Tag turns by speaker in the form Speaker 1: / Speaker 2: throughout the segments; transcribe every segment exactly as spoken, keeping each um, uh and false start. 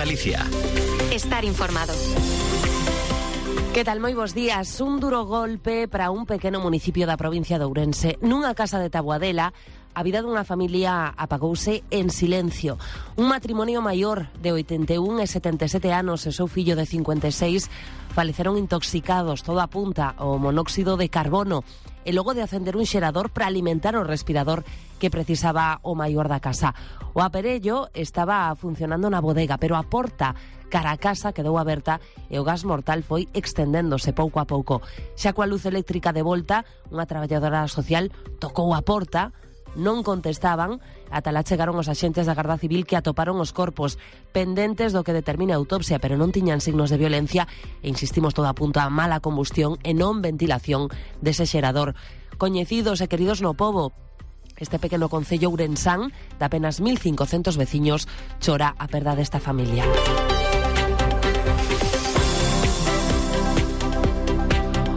Speaker 1: Galicia.
Speaker 2: Estar informado.
Speaker 3: Que tal, moi bos días? Un duro golpe para un pequeno municipio da provincia de Ourense. Nunha casa de Taboadela, a vida dunha familia apagouse en silencio. Un matrimonio maior de oitenta e un e setenta e sete anos e seu fillo de cincuenta e seis faleceron intoxicados, todo apunta ao monóxido de carbono, e logo de acender un xerador para alimentar o respirador que precisaba o maior da casa. O aparello estaba funcionando na bodega, pero a porta cara a casa quedou aberta e o gas mortal foi extendéndose pouco a pouco. Xa coa luz eléctrica de volta, unha traballadora social tocou a porta, non contestaban, ata lá chegaron os axentes da Garda Civil que atoparon os corpos pendentes do que determine a autopsia, pero non tiñan signos de violencia e insistimos, todo apunta a mala combustión e non ventilación dese xerador. Coñecidos e queridos no pobo, este pequeno concello ourensán de apenas mil cincocentos veciños chora a perda desta familia.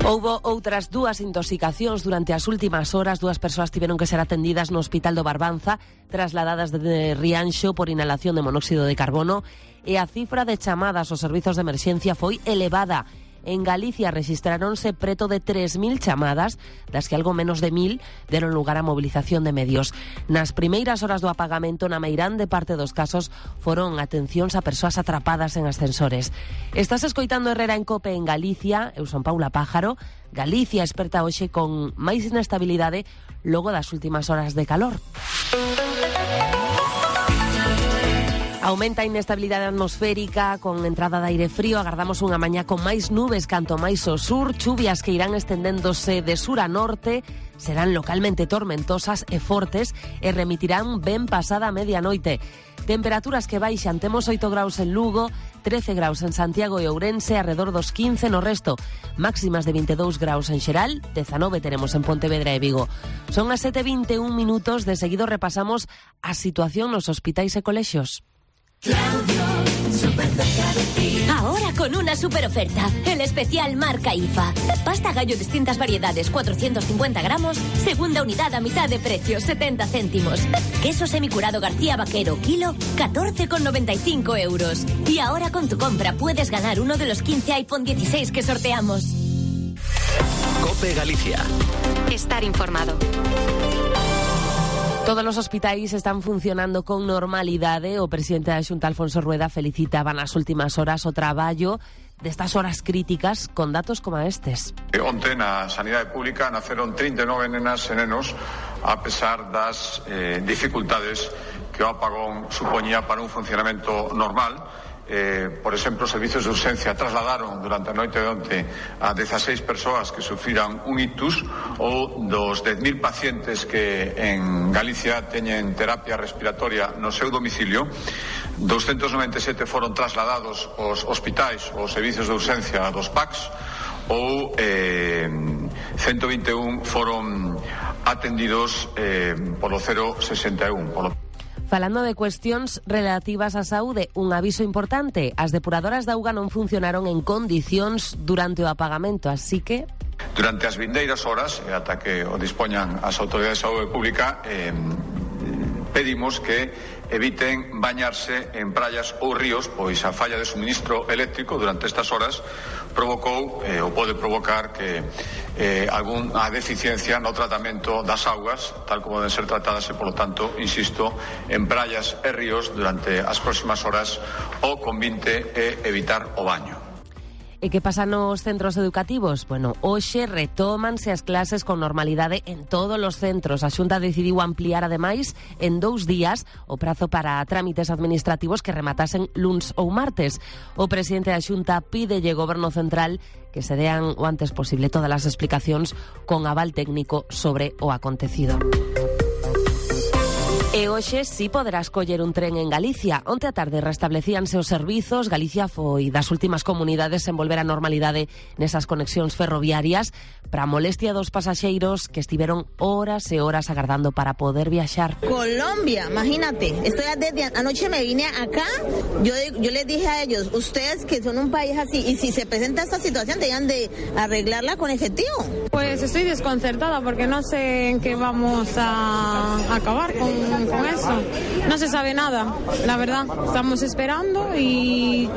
Speaker 3: Houbo outras dúas intoxicacións durante as últimas horas. Dúas persoas tiveron que ser atendidas no Hospital do Barbanza, trasladadas de Rianxo por inhalación de monóxido de carbono, e a cifra de chamadas aos servizos de emerxencia foi elevada. En Galicia rexistráronse preto de tres mil chamadas, das que algo menos de mil deron lugar á movilización de medios. Nas primeiras horas do apagamento, na meirande parte dos casos, foron atencións a persoas atrapadas en ascensores. Estás escoitando Herrera en Cope en Galicia. Eu son Paula Pájaro. Galicia esperta hoxe con máis inestabilidade logo das últimas horas de calor. Aumenta a inestabilidade atmosférica con entrada de aire frío. Agardamos unha mañá con máis nubes canto máis ao sur, chuvias que irán estendéndose de sur a norte, serán localmente tormentosas e fortes e remitirán ben pasada a medianoite. Temperaturas que baixan, temos oito graus en Lugo, trece graus en Santiago e Ourense, arredor dos quince no resto. Máximas de vinte e dous graus en Xeral, dezanove teremos en Pontevedra e Vigo. Son as sete e vinte e un minutos, de seguido repasamos a situación nos hospitais e colexios.
Speaker 4: Claudio, súper cerca de ti. Ahora con una super oferta, el especial marca I F A. Pasta gallo distintas variedades, cuatrocientos cincuenta gramos, segunda unidad a mitad de precio, setenta céntimos. Queso semicurado García Vaquero, kilo, catorce con noventa y cinco euros. Y ahora con tu compra puedes ganar uno de los quince iPhone dieciséis que sorteamos.
Speaker 1: Cope Galicia.
Speaker 2: Estar informado.
Speaker 3: Todos os hospitais están funcionando con normalidade. O presidente da Xunta, Alfonso Rueda, felicitaba nas últimas horas o traballo destas horas críticas con datos como estes.
Speaker 5: Onte na sanidade pública naceron trinta e nove nenas e nenos a pesar das eh, dificultades que o apagón supoñía para un funcionamento normal. Eh, por exemplo, os servizos de urxencia trasladaron durante a noite de onte a dezaseis persoas que sufriran un ictus, ou dos dez mil pacientes que en Galicia teñen terapia respiratoria no seu domicilio, doscientos noventa e sete foron trasladados aos hospitais ou servizos de urxencia dos P A Cs, ou eh, ciento vinte e un foron atendidos eh, polo cero sesenta e un. Polo
Speaker 3: Falando de cuestións relativas á saúde, un aviso importante: as depuradoras de auga non funcionaron en condicións durante o apagamento, así que
Speaker 5: durante as vindeiras horas, e ata que o dispoñan as autoridades de saúde pública, eh, pedimos que eviten bañarse en praias ou ríos, pois a falla de suministro eléctrico durante estas horas provocou, eh, ou pode provocar que eh, algunha deficiencia no tratamento das augas, tal como deben ser tratadas, e, polo tanto, insisto, en praias e ríos durante as próximas horas o convinte é evitar o baño.
Speaker 3: E que pasa nos centros educativos? Bueno, hoxe retómanse as clases con normalidade en todos os centros. A Xunta decidiu ampliar, ademais, en dous días o prazo para trámites administrativos que rematasen luns ou martes. O presidente da Xunta pídelle ao Goberno Central que se dean o antes posible todas as explicacións con aval técnico sobre o acontecido. E hoxe si poderás coller un tren en Galicia. Onte a tarde restablecíanse os servizos. Galicia foi das últimas comunidades en volver á normalidade nesas conexións ferroviarias, para a molestia dos pasaxeiros que estiveron horas e horas agardando para poder viaxar.
Speaker 6: Colombia, imagínate, estoy desde anoche me vine acá, yo, yo les dije a ellos, ustedes que son un país así, y si se presenta esta situación, tenían de arreglarla con efectivo.
Speaker 7: Pues estoy desconcertada porque no sé en qué vamos a acabar con siguen con eso. No se sabe nada, la verdad. Estamos esperando y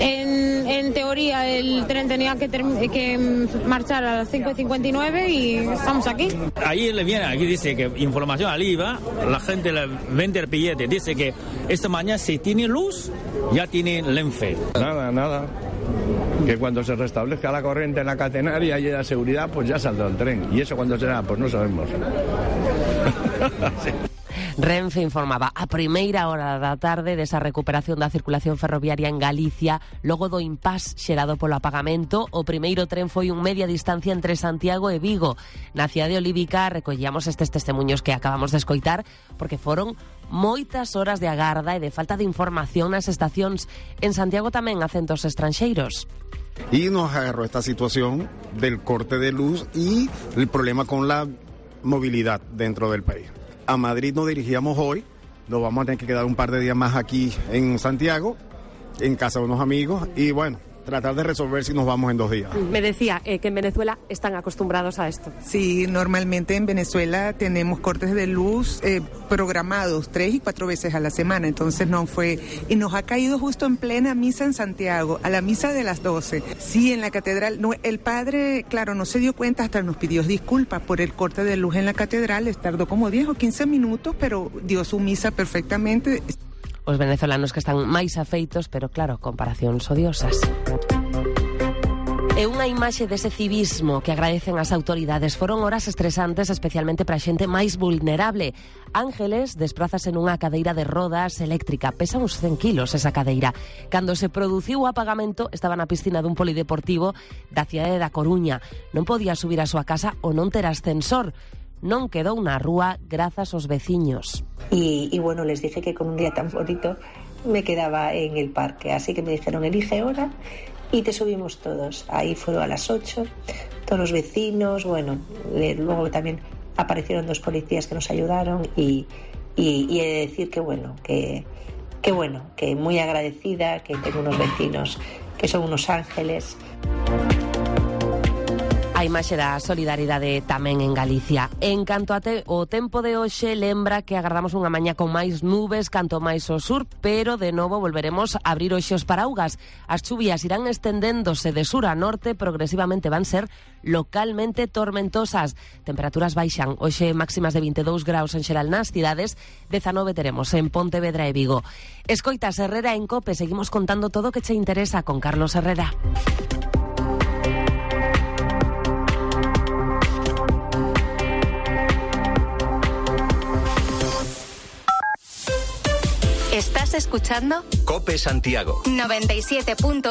Speaker 7: en, en teoría el tren tenía que, term- que marchar a las cinco y cincuenta y nueve y estamos aquí.
Speaker 8: Ahí le viene, aquí dice que información al I V A, la gente le vende el billete, dice que esta mañana si tiene luz, ya tiene Renfe.
Speaker 9: Nada, nada. Que cuando se restablezca la corriente en la catenaria y haya seguridad, pues ya saldrá el tren. ¿Y eso cuándo será? Pues no sabemos. Sí.
Speaker 3: Renfe informaba a primeira hora da tarde desa recuperación da circulación ferroviaria en Galicia logo do impás xerado polo apagamento. O primeiro tren foi un media distancia entre Santiago e Vigo. Na cidade olívica recollíamos estes testemunhos que acabamos de escoitar porque foron moitas horas de agarda e de falta de información nas estacións. En Santiago tamén acentos estranxeiros.
Speaker 10: Y nos agarró esta situación del corte de luz y el problema con la movilidad dentro del país. A Madrid nos dirigíamos hoy, nos vamos a tener que quedar un par de días más aquí en Santiago, en casa de unos amigos, y bueno, tratar de resolver si nos vamos en dos días.
Speaker 11: Me decía eh, que en Venezuela están acostumbrados a esto.
Speaker 12: Sí, normalmente en Venezuela tenemos cortes de luz eh, programados tres y cuatro veces a la semana, entonces no fue, y nos ha caído justo en plena misa en Santiago, a la misa de las doce. Sí, en la catedral, no, el padre, claro, no se dio cuenta, hasta nos pidió disculpas por el corte de luz en la catedral, les tardó como diez o quince minutos, pero dio su misa perfectamente.
Speaker 3: Os venezolanos que están máis afeitos, pero claro, comparacións odiosas. E unha imaxe dese civismo que agradecen as autoridades. Foron horas estresantes, especialmente para a xente máis vulnerable. Ángeles desprázase nunha cadeira de rodas eléctrica. Pesa uns cen kilos esa cadeira. Cando se produciu o apagamento, estaba na piscina dun polideportivo da cidade da Coruña. Non podía subir á súa casa ou non ter ascensor. Non quedou na rúa grazas aos veciños.
Speaker 13: Y, y bueno, les dije que con un día tan bonito me quedaba en el parque, así que me dijeron elige hora y te subimos todos. Ahí fueron a las ocho, todos los vecinos, bueno, le, luego también aparecieron dos policías que nos ayudaron y, y, y he de decir que bueno, que, que bueno, que muy agradecida, que tengo unos vecinos que son unos ángeles.
Speaker 3: A imaxe da solidaridade tamén en Galicia. En canto a te, o tempo de hoxe lembra que agardamos unha mañá con máis nubes canto máis ao sur, pero de novo volveremos a abrir hoxe os paraugas. As chuvias irán estendéndose de sur a norte, progresivamente van ser localmente tormentosas. Temperaturas baixan, hoxe máximas de vinte e dous graus en xeral nas cidades, dezanove teremos en Pontevedra e Vigo. Escoitas Herrera en Cope, seguimos contando todo o que che interesa con Carlos Herrera.
Speaker 2: ¿Estás escuchando?
Speaker 1: Cope Santiago.
Speaker 2: noventa y siete punto uno